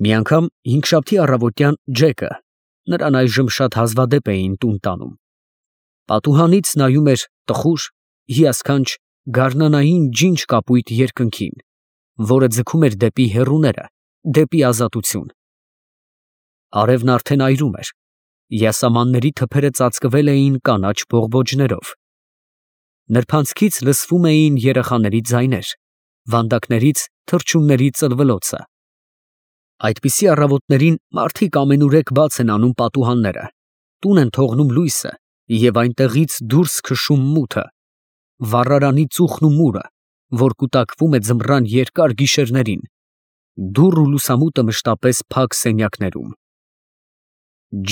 Մի անգամ հինգշաբթի առավոտյան Ջեկը, նրան այժմ շատ հազվադեպ էին տուն տանում, պատուհանից նայում էր տխուր, հիասքանչ, գարնանային ջինջ կապույտ երկնքին, որը ձգում էր դեպի հեռուները, դեպի ազատություն։ Արևն արդեն այրում էր, յասամանների թփերը ծածկվել էին կանաչ բողբոջներով։ Նրբանցքից լսվում էին երեխաների ձայներ, վանդակներից թռչունների ծլվլոցը։ Այդպիսի առավոտներին մարդիկ ամենուրեք բաց են անում պատուհանները, տուն են թողնում լույսը և այնտեղից դուրս քշում մութը, վառարանի ծուխն ու մուրը, որ կուտակվում է ձմռան երկար գիշերներին, դուռ ու լուսամուտը մշտապես փակ սենյակներում։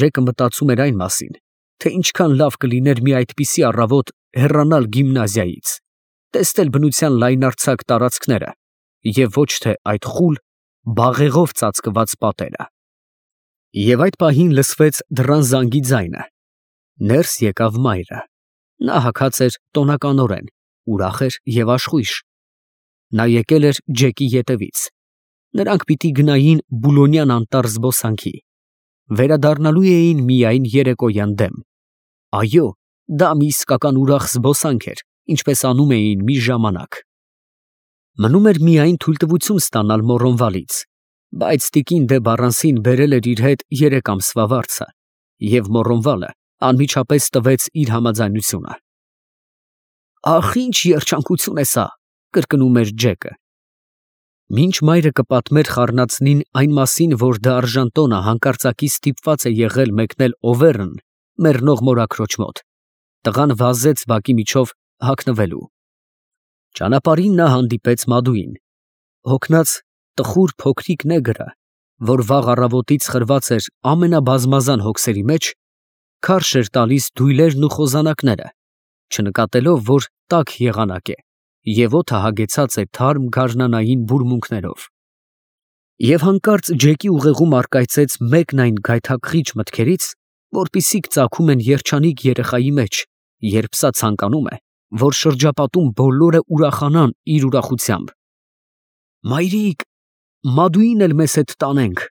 Ջեկը մտածում էր այն մասին, թե ինչքան լավ կլիներ մի այդպիսի առավոտ հեռանալ գիմնազիայից, տեսնել բնության լայնարձակ տարածքները և ոչ թե այդ խուլ, բաղեղով ծածկված պատերը։ Եվ այդ պահին լսվեց դռան զանգի ձայնը։ Ներս եկավ մայրը։ Նա հագած էր տոնականորեն, ուրախ էր և աշխույժ։ Նա եկել էր Ջեկի ետևից։ Նրանք պիտի գնային Բուլոնյան անտառ զբոսանքի։ Վերադառնալու էին միայն երեկոյան դեմ։ Այո, դա մի իսկական ուրախ զբոսանք էր, ինչպես անում էին մի ժամանակ։ Մնում էր միայն թույլտվություն ստանալ Մոռոնվալից, բայց տիկին դե Բառանսին բերել էր իր հետ 3 ամսվա վարձը, և Մոռոնվալը անմիջապես տվեց իր համաձայնությունը։ «Ախ, ինչ երջանկություն է սա», կրկնում էր Ջեկը։ Մինչ մայրը կպատմեր խառնածնին այն մասին, որ դա արժանտոնը հանկարծակի ստիպված է եղել մեկնել Օվերն մեռնող մորաքրոջ մոտ, տղան վազեց բակի միջով հագնվելու։ Ճանապարհին նա հանդիպեց Մադուին, հոգնած տխուր փոքրիկ նեգրը, որ վաղ առավոտից խրված էր ամենաբազմազան հոգսերի մեջ, քարշ էր տալիս դույլերն ու խոզանակները, չնկատելով, որ տաք եղանակ է և օդը հագեցած է թարմ գարնանային բուրմունքներով։ Եվ հանկարծ Ջեկի ուղեղում առկայծեց մեկն այն գայթակղիչ մտքերից, որպիսիք ծագում են երջանիկ երեխայի մեջ, երբ սա ցանկանում է, որ շրջապատում բոլորը ուրախանան իր ուրախությամբ։ «Մայրիկ, Մադուին էլ մեզ հետ տանենք»։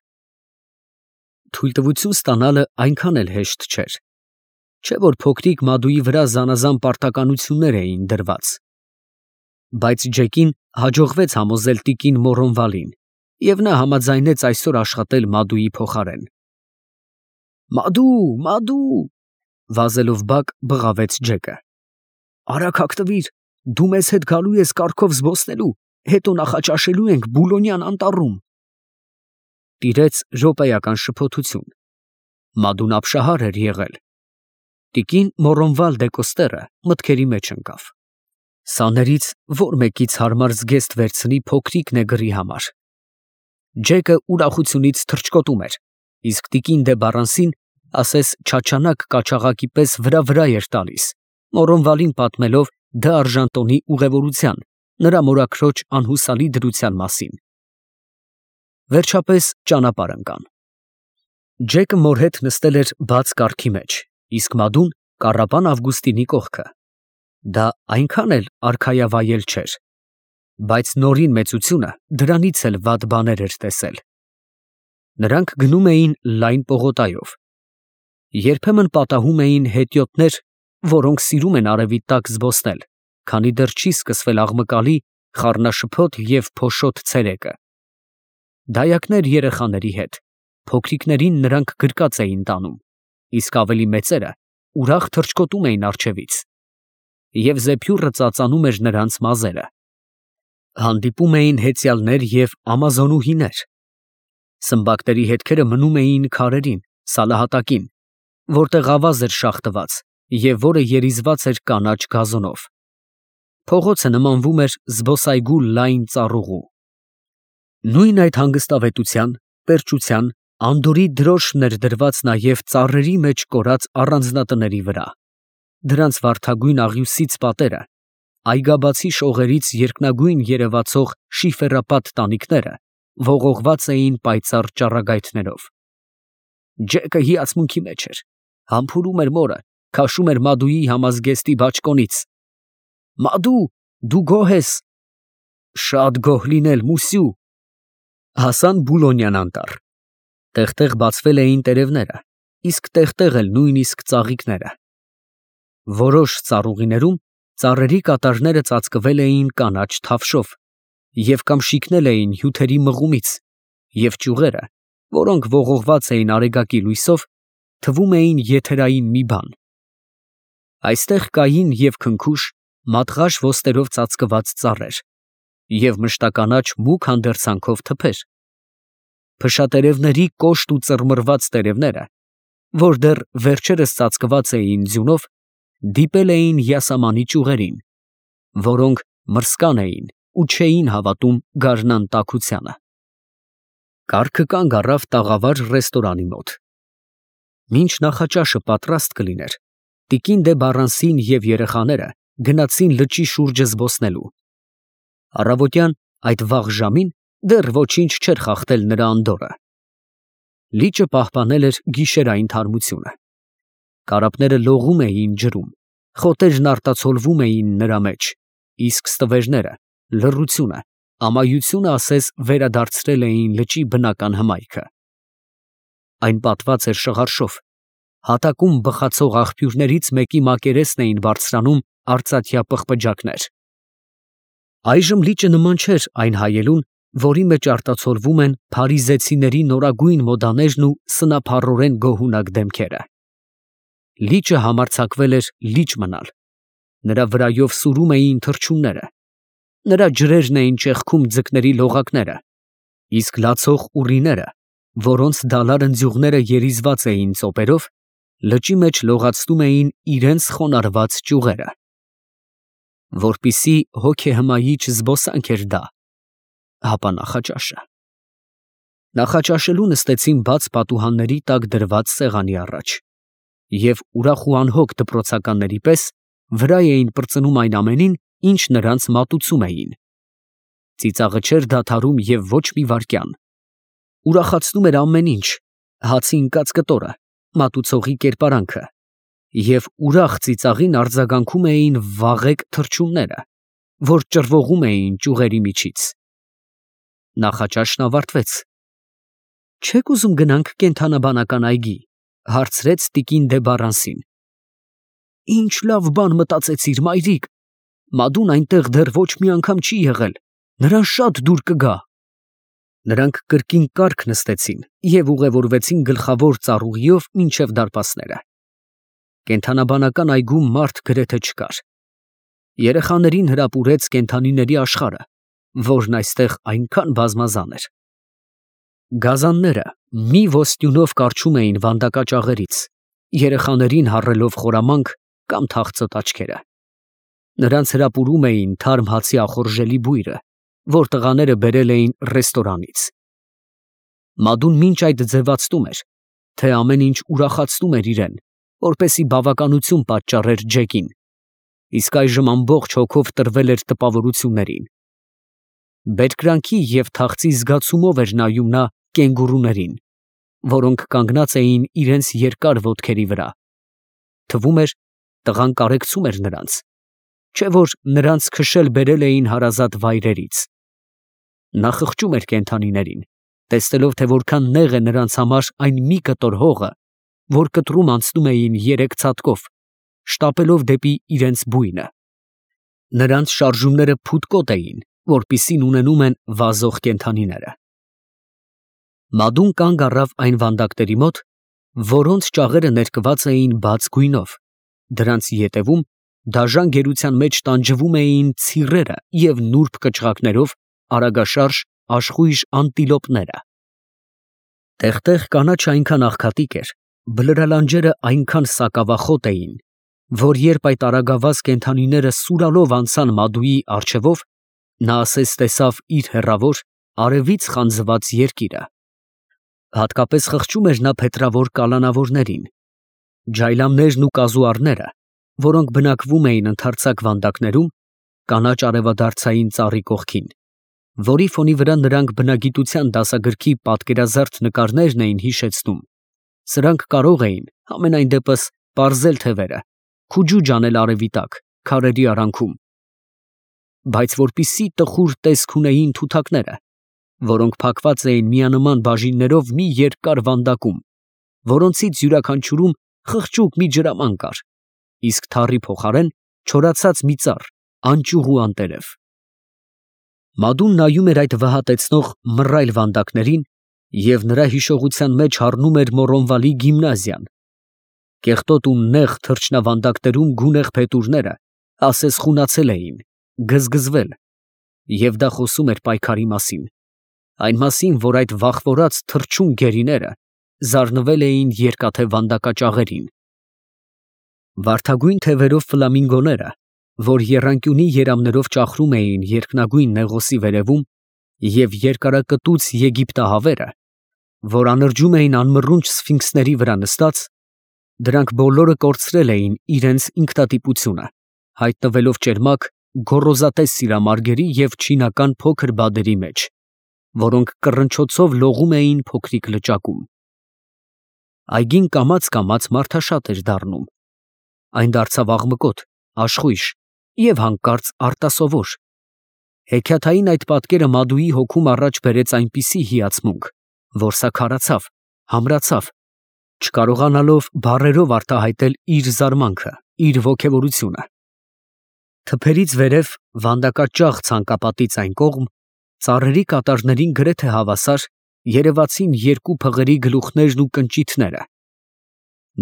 Թույլտվություն ստանալը այնքան էլ հեշտ չէր, չէ՞ որ փոքրիկ Մադուի վրա զանազան պարտականություններ էին դրված։ Բայց Ջեկին հաջողվեց համոզել տիկին Մոռոնվալին, և նա համաձայնեց այսօր աշխատել Մադուի փոխարեն։ «Մադու, Մադու», վազելով բակ բղավեց Ջեկը։ «Արագ հագնվիր, դու մեզ հետ գալու ես կառքով զբոսնելու, հետո նախաճաշելու ենք Բուլոնյան անտառում»։ Տիրեց րոպեական շփոթություն։ Մադուն ապշահար էր եղել։ Տիկին Մոռոնվալ դե Կոստերը մտքերի մեջ ընկավ։ Սաներից ո՞ր մեկից հարմար զգեստ վերցնի փոքրիկ նեգրի համար։ Ջեկը ուրախությունից թռչկոտում էր, իսկ տիկին դե Բառանսին ասես չաչանակ կաչաղակի պես վրա էր տալիս, Մոռոնվալին պատմելով դա արժանտոնի ուղևորության, նրա մորաքրոջ անհուսալի դրության մասին։ Վերջապես ճանապարհ ընկան։ Ջեկը մոր հետ նստել էր բաց կառքի մեջ, իսկ Մադուն կառապան Ավգուստինի կողքը։ Դա այնքան էլ արքայավայել չէր, բայց նորին մեծությունը դրանից էլ վատ բաներ էր տեսել։ Նրանք գնում էին լայն պողոտայով։ Երբեմն պատահում էին հետիոտներ, որոնք սիրում են արևի տակ զբոսնել, քանի դեռ չի սկսվել աղմկալի, խառնաշփոթ և փոշոտ ցերեկը։ Դայակներ երեխաների հետ, փոքրիկներին նրանք գրկած էին տանում, իսկ ավելի մեծերը ուրախ թռչկոտում էին առջևից, և զեփյուռը ծածանում էր նրանց մազերը։ Հանդիպում էին հեծյալներ և ամազոնուհիներ։ Սմբակների հետքերը մնում էին քարերին, սալահատակին, որտեղ ավազ էր շաղ տված և որը երիզված էր կանաչ գազոնով։ Փողոցը նմանվում էր զբոսայգու լայն ծառուղու։ Նույն այդ հանգստավետության, պերճության, անդորրի դրոշն էր դրված նաև ծառերի մեջ կորած առանձնատների վրա։ Դրանց վարդագույն աղյուսից պատերը, այգաբացի շողերից երկնագույն երևացող շիֆերապատ տանիքները ողողված էին պայծառ ճառագայթներով։ Ջեկը հիացմունքի մեջ էր, համբուրում էր մորը, քաշում էր Մադուի համազգեստի բաճկոնից։ «Մադու, դու գոհ ես»։ «Շատ գոհ լինել, մուսյու»։ Հասան Բուլոնյան անտառ։ Տեղ-տեղ բացվել էին տերևները, իսկ տեղ-տեղ էլ նույնիսկ ծաղիկները։ Որոշ ծառուղիներում ծառերի կատարները ծածկվել էին կանաչ թավշով և կամ շիկնել էին հյութերի մղումից, և ճյուղերը, որոնք ողողված էին արեգակի լույսով, թվում էին եթերային մի բան։ Այստեղ կային և քնքուշ, մատղաշ ոստերով ծածկված ծառեր և մշտականաչ մուգ հանդերձանքով թփեր։ Փշատերևների կոշտ ու ծռմռված տերևները, որ դեռ վերջերս ծածկված էին ձյունով, դիպել էին յասամանի ճյուղերին, որոնք մրսկան էին ու չէին հավատում գարնան տաքությանը։ Կառքը կանգ առավ տաղավար ռեստորանի մոտ։ Մինչ նախաճաշը պատրաստ կլիներ, տիկին դե Բառանսին և երեխաները գնացին լճի շուրջը զբոսնելու։ Առավոտյան այդ վաղ ժամին դեռ ոչինչ չէր խախտել նրա անդորրը։ Լիճը պահպանել էր գիշերային թարմությունը։ Կարապները լողում էին ջրում, խոտերն արտացոլվում էին նրա մեջ, իսկ ստվերները, լռությունը, ամայությունը ասես վերադարձրել էին լճի բնական հմայքը։ Այն պատված էր շղարշով, հատակում բխացող աղբյուրներից մեկի մակերեսն էին բարձրանում արծաթյա պղպջակներ։ Այժմ լիճը նման չէր այն հայելուն, որի մեջ արտացոլվում են փարիզեցիների նորագույն մոդաներն ու սնափառորեն գոհունակ դեմքերը։ Լիճը համարձակվել էր լիճ մնալ։ Նրա վրայով սուրում էին թռչունները։ Նրա ջրերն էին ճեղքում ձկների լողակները, իսկ լացող ուռիները, որոնց դալար ընձյուղները երիզված էին ծոպերով, լճի մեջ լողացնում էին իրենց խոնարհված ճյուղերը։ Որպիսի հոգեհմայիչ զբոսանք էր դա, հապա նախաճաշը։ Նախաճաշելու նստեցին բաց պատուհանների տակ դրված սեղանի առաջ, և ուրախ ու անհոգ դպրոցականների պես վրա էին պրծնում այն ամենին, ինչ նրանց մատուցում էին։ Ծիծաղը չէր դադարում և ոչ մի վայրկյան։ Ուրախացնում էր ամեն ինչ, հացի ընկած կտորը, մատուցողի կերպարանքը, և ուրախ ծիծաղին արձագանքում էին վաղեկ թռչունները, որ ճռվողում էին ճյուղերի միջից։ Նախաճաշն ավարտվեց։ «Չե՞ք ուզում գնանք կենդանաբանական այգի», ֊ հարցրեց տիկին դե Բառանսին։ «Ինչ լավ բան մտածեցիր, մայրիկ. Մադուն այնտեղ դեռ ոչ մի անգամ չի եղել, նրան շատ դուր կգա»։ Նրանք կրկին կառք նստեցին և ուղևորվեցին գլխավոր ծառուղիով մինչև դարպասները։ Կենդանաբանական այգում մարդ գրեթե չկար։ Երեխաներին հրապուրեց կենդանիների աշխարհը, որն այստեղ այնքան բազմազան էր։ Գազանները մի ոսტյունով կառչում էին վանդակաճաղերից, երեխաներին հառելով խորամանկ կամ թախծոտ աչքերը։ Նրանց հրապուրում էին թարմ հացի ախորժելի բույրը, որ տղաները բերել էին ռեստորանից։ Մադուն մինչ այդ ձևացնում էր, թե ամեն ինչ ուրախացնում էր իրեն, որպեսզի բավականություն պատճառեր Ջեկին, իսկ այժմ ամբողջ հոգով տրվել էր տպավորություններին։ Բերկրանքի և թախծի զգացումով էր նայում նա կենգուրուներին, որոնք կանգնած էին իրենց երկար ոտքերի վրա։ Թվում էր, տղան կարեկցում էր նրանց, չէ որ նրանց քշել բերել էին հարազատ վայրերից։ Նա խղճում էր կենդանիներին, տեսնելով, թե որքան նեղ է նրանց համար այն մի կտոր հողը, որ կտրում անցնում էին երեք ցատկով, շտապելով դեպի իրենց բույնը։ Նրանց շարժումները փութկոտ էին, որպիսին ունենում են վազող կենդանիները։ Մադուն կանգ առավ այն վանդակների մոտ, որոնց ճաղերը ներկված էին բաց գույնով, դրանց ետևում դաժան գերության մեջ տանջվում էին ցիռերը և նուրբ կճղակներով արագաշարժ աշխույժ անտիլոպները։ Տեղ֊տեղ կանաչը այնքան աղքատիկ էր, բլրալանջերը այնքան սակավախոտ էին, որ երբ այդ արագավազ կենդանիները սուրալով անցան Մադուի առջևով, նա ասես տեսավ իր հեռավոր, արևից խանձված երկիրը։ Հատկապես խղճում էր նա փետրավոր կալանավորներին։ Ջայլամներն ու կազուարները, որոնք բնակվում էին ընդարձակ վանդակներում, կանաչ արևադարձային ծառի կողքին, որի ֆոնի վրա նրանք բնագիտության դասագրքի պատկերազարդ նկարներն էին հիշեցնում, սրանք կարող էին, համենայն դեպս, պարզել թևերը, քուջուջ անել արևի տակ, քարերի արանքում։ Բայց որպիսի տխուր տեսք ունեին թութակները, որոնք փակված էին միանման բաժիններով մի երկար վանդակում, որոնցից յուրաքանչյուրում խղճուկ մի ջրաման կար, իսկ թառի փոխարեն չորացած մի ծառ, անճուղ ու անտերև։ Մադուն նայում էր այդ վհատեցնող մռայլ վանդակներին և նրա հիշողության մեջ հառնում էր Մորոնվալի գիմնազիան։ Կեղտոտ ու նեղ թռչնավանդակներում գունեղ փետուրները ասես խունացել էին, գզգզվել, և դա խոսում էր պայքարի մասին, այն մասին, որ այդ վախվորած թռչուն գերիները զարնվել էին երկաթե վանդակաճաղերին։ Վարդագույն թևերով ֆլամինգոները, որ եռանկյունի երամներով ճախրում էին երկնագույն նեղոսի վերևում, և երկարակտուց եգիպտահավերը, որ անրջում էին անմռունչ սֆինքսների վրա նստած, դրանք բոլորը կորցրել էին իրենց ինքնատիպությունը, հայտնվելով ճերմակ, գոռոզատես սիրամարգերի և չինական փոքր բադերի մեջ, որոնք կռնչոցով լողում էին փոքրիկ լճակում։ Այգին կամաց մարդաշատ էր դառնում. այն դարձավ աղմկոտ, աշխույժ և հանկարծ արտասովոր։ Հեքիաթային այդ պատկերը Մադուի հոգում առաջ բերեց այնպիսի հիացմունք, որ սա քարացավ, համրացավ, չկարողանալով բառերով արտահայտել իր զարմանքը, իր ոգևորությունը։ Թփերից վերև վանդակաճաղ ցանկապատից այն կողմ, ծառերի կատարներին գրեթե հավասար, երևացին երկու փղերի գլուխներն ու կնճիթները։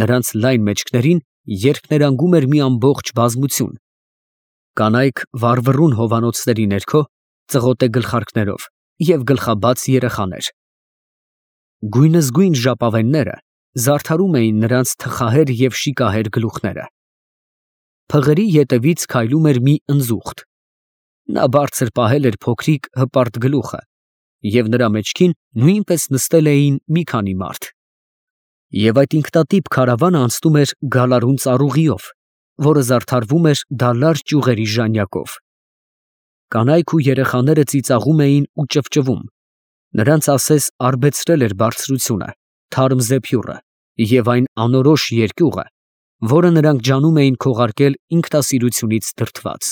Նրանց լայն մեջքներին երկներանգում էր մի ամբողջ բազմություն. կանայք վառվռուն հովանոցների ներքո, ծղոտե գլխարկներով և գլխաբաց երեխաներ։ Գույնզգույն ժապավենները զարդարում էին նրանց թխահեր և շիկահեր գլուխները։ Փղերի ետևից քայլում էր մի ընձուղտ. նա բարձր պահել էր փոքրիկ հպարտ գլուխը, և նրա մեջքին նույնպես նստել էին մի քանի մարդ։ Եվ այդ ինքնատիպ քարավանը անցնում էր գալարուն ծառուղիով, որը զարդարվում էր դալար ճյուղերի ժանյակով։ Կանայք ու երեխաները ծիծաղում էին ու ճվճվում, նրանց ասես արբեցրել էր բարձրությունը, թարմ զեփյուռը և այն անորոշ երկյուղը, որը նրանք ջանում էին քողարկել ինքնասիրությունից դրդված։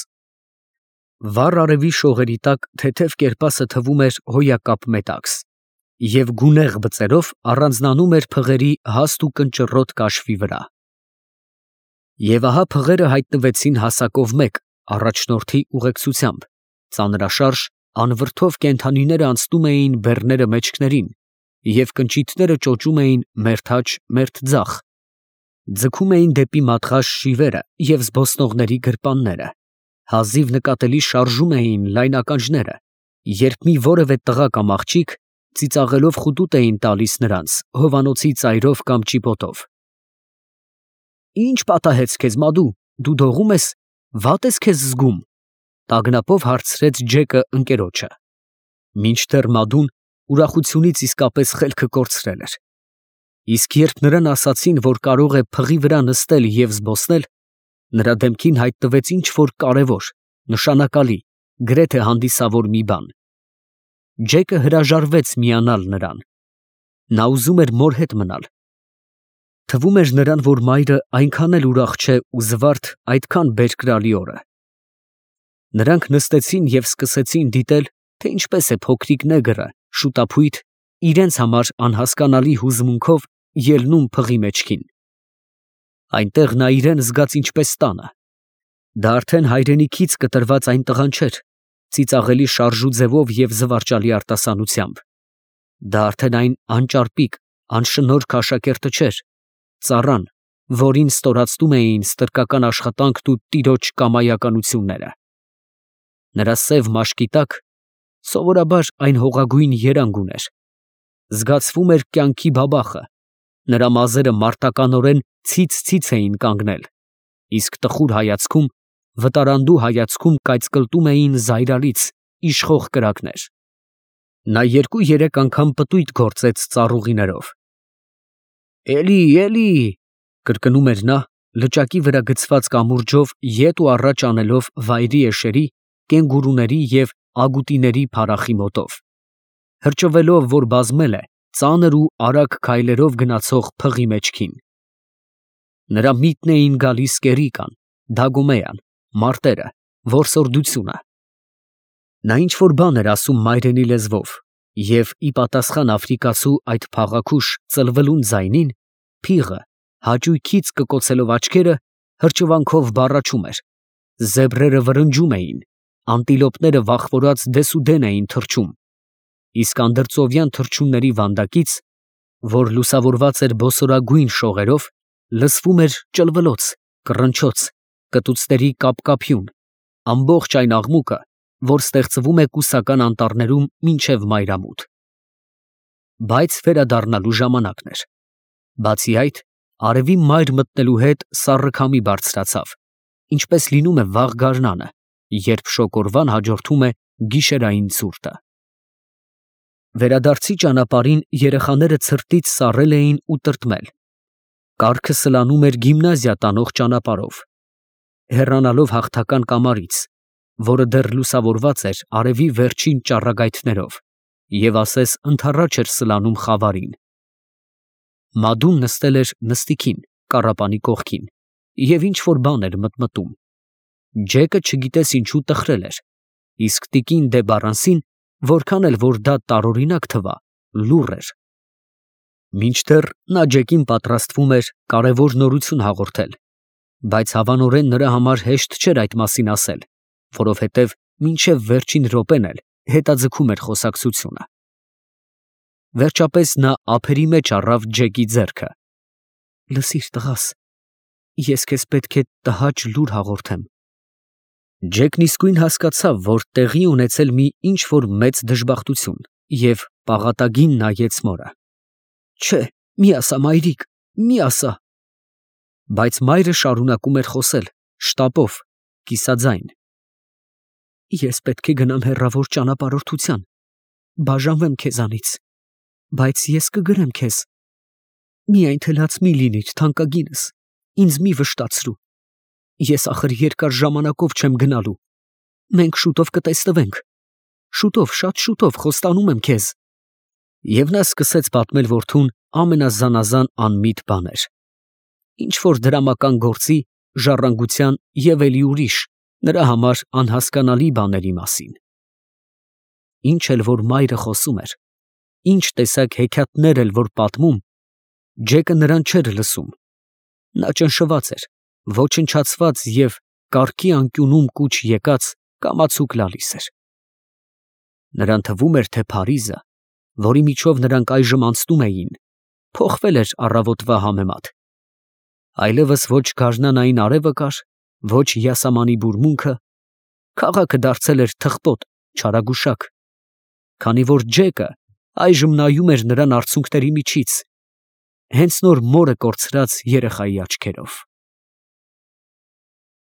Վառ արևի շողերի տակ թեթև կերպասը թվում էր հոյակապ մետաքս և գունեղ բծերով առանձնանում էր փղերի հաստ ու կնճռոտ կաշվի վրա։ Եվ ահա փղերը հայտնվեցին հասակով մեկ առաջնորդի ուղեկցությամբ, ծանրաշարժ, անվրդով կենդանիները անցնում էին բեռները մեջքներին, և կնճիթները ճոճում էին մերթ աջ, մերթ ձախ, ձգում էին դեպի մատղաշ շիվերը և զբոսնողների գրպանները, հազիվ նկատելի շարժում էին լայն ականջները, երբ մի որևէ տղա կամ աղջիկ ծիծաղելով խուտուտ էին տալիս նրանց հովանոցի ծայրով կամ ճիպոտով։ «Ի՞նչ պատահեց քեզ, Մադու, դու դողում ես, վատ ես քեզ զգում», տագնապով հարցրեց Ջեկը ընկերոջը։ Մինչդեռ Մադուն ուրախությունից իսկապես խելքը կորցրել էր։ Իսկ երբ նրան ասացին, որ կարող է փղի վրա նստել և զբոսնել, նրա դեմքին հայտնվեց ինչ֊որ կարևոր, նշանակալի, գրեթե հանդիսավոր մի բան։ Ջեկը հրաժարվեց միանալ նրան։ Նա ուզում էր մոր հետ մնալ։ Թվում էր նրան, որ մայրը այնքան էլ ուրախ չէ ու զվարթ այդքան բերկրալի օրը։ Նրանք նստեցին և սկսեցին դիտել, թե ինչպես է փոքրիկ նեգրը, շուտափույթ, իրենց համար անհասկանալի հուզմունքով ելնում փղի մեջքին։ Այնտեղ նա իրան զգաց ինչպես տանը։ Դա արդեն հայրենիքից կտրված այն տղան չէր, ծիծաղելի շարժու ձևով և զվարճալի արտասանությամբ։ Դա արդեն այն անճարպիկ, անշնորհք աշակերտը չէր, ծառան, որին ստորացնում էին ստրկական աշխատանքն ու տիրոջ կամայականությունները։ Նրա սև մաշկի տակ սովորաբար այն հողագույն երանգ ուներ։ Զգացվում էր կյանքի բաբախը, նրա մազերը մարտականորեն ցից էին կանգնել, իսկ տխուր հայացքում, վտարանդու հայացքում կայծկլտում էին զայրալից, իշխող կրակներ։ Նա 2-3 անգամ պտույտ գործեց ծառուղիներով։ «Էլի», կրկնում էր նա, լճակի վրա գցված կամուրջով ետ ու առաջ անելով վայրի էշերի, կենգուրուների և ագուտիների փարախի մոտով, հրճվելով, որ բազմել է ծանր ու արագ քայլերով գնացող փղի մեջքին։ Նրա միտն էին գալիս կերիկան, դագոմեան, մարտերը, որսորդությունը։ Նա ինչ֊որ բան էր ասում մայրենի լեզվով, Եվ ի պատասխան աֆրիկացու այդ փաղաքուշ ծլվելուն ձայնին, փիղը հաճույքից կկոցելով աչքերը հրճվանքով բառաչում էր, զեբրերը վրնջում էին, անտիլոպները վախվորած դեսուդեն էին թռչում, իսկ անդրծովյան թռչունների վանդակից, որ լուսավորված էր բոսորագույն շողերով, լսվում էր ճլվլոց, կռնչոց, կտուցների կապկապյուն, ամբողջ այն աղմուկը, որ ստեղծվում է կուսական անտառներում մինչև մայրամուտ։ Բայց վերադառնալու ժամանակն էր։ Բացի այդ, արևի մայր մտնելու հետ սառը քամի բարձրացավ, ինչպես լինում է վաղ գարնանը, երբ շոգորվան հաջորդում է գիշերային ցուրտը։ Վերադարձի ճանապարհին երեխաները ցրտից սառել էին ու տրտմել։ Կառքը սլանում էր գիմնազիա տանող ճանապարհով, հեռանալով հաղթական կամարից, որը դեռ լուսավորված էր արևի վերջին ճառագայթներով, և ասես ընդառաջ էր սլանում խավարին։ Մադուն նստել էր նստիքին, կառապանի կողքին, և ինչ-որ բան էր մտմտում։ Ջեկը չգիտես ինչու տխրել էր, իսկ տիկին դե Բարանսին, որքան էլ որ դա տարօրինակ թվա, լուռ էր։ Մինչդեռ նա Ջեկին պատրաստվում էր կարևոր նորություն հաղորդել, բայց հավանորեն նրա համար հեշտ չէր այդ մասին ասել, որովհետև մինչև վերջին րոպեն էլ հետաձգում էր խոսակցությունը։ Վերջապես նա ափերի մեջ առավ Ջեկի ձեռքը։ «Լսիր, տղաս, ես քեզ պետք է տհաճ լուր հաղորդեմ»։ Ջեկն իսկույն հասկացավ, որ տեղի ունեցել մի ինչ֊որ մեծ դժբախտություն, և պաղատագին նայեց մորը։ «Չէ, մի ասա, մայրիկ, մի ասա»։ Բայց մայրը շարունակում էր խոսել, շտապով, կիսաձայն. «Ես պետք է գնամ հեռավոր ճանապարհորդության, բաժանվեմ քեզանից, բայց ես կգրեմ քեզ։ Միայն թելաց մի լինիր, թանկագինս, ինձ մի վշտացրու։ Ես ախր երկար ժամանակով չեմ գնալու։ Մենք շուտով կտեսնվենք։ Շուտով, շատ շուտով, խոստանում եմ քեզ»։ Եվ նա սկսեց պատմել որդուն ամենազանազան անմիտ բաներ։ Ինչ-որ դրամական գործի, ժառանգության և էլի ուրիշ, նրա համար անհասկանալի բաների մասին։ Ինչ էլ որ մայրը խոսում էր, ինչ տեսակ հեքիաթներ էլ որ պատմում, Ջեկը նրան չէր լսում։ Նա ճնշված էր, ոչնչացված և կառքի անկյունում կուչ եկած կամացուկ լալիս էր։ Նրան թվում էր, թե Փարիզը, որի միջով նրանք այժմ անցնում էին, փոխվել էր առավոտվա համեմատ։ Այլևս ոչ գարնանային արևը կար, ոչ յասամանի բուրմունքը, քաղաքը դարձել էր թխպոտ, չարագուշակ, քանի որ Ջեկը այժմ նայում էր նրան արցունքների միջից, հենց նոր մորը կորցրած երեխայի աչքերով։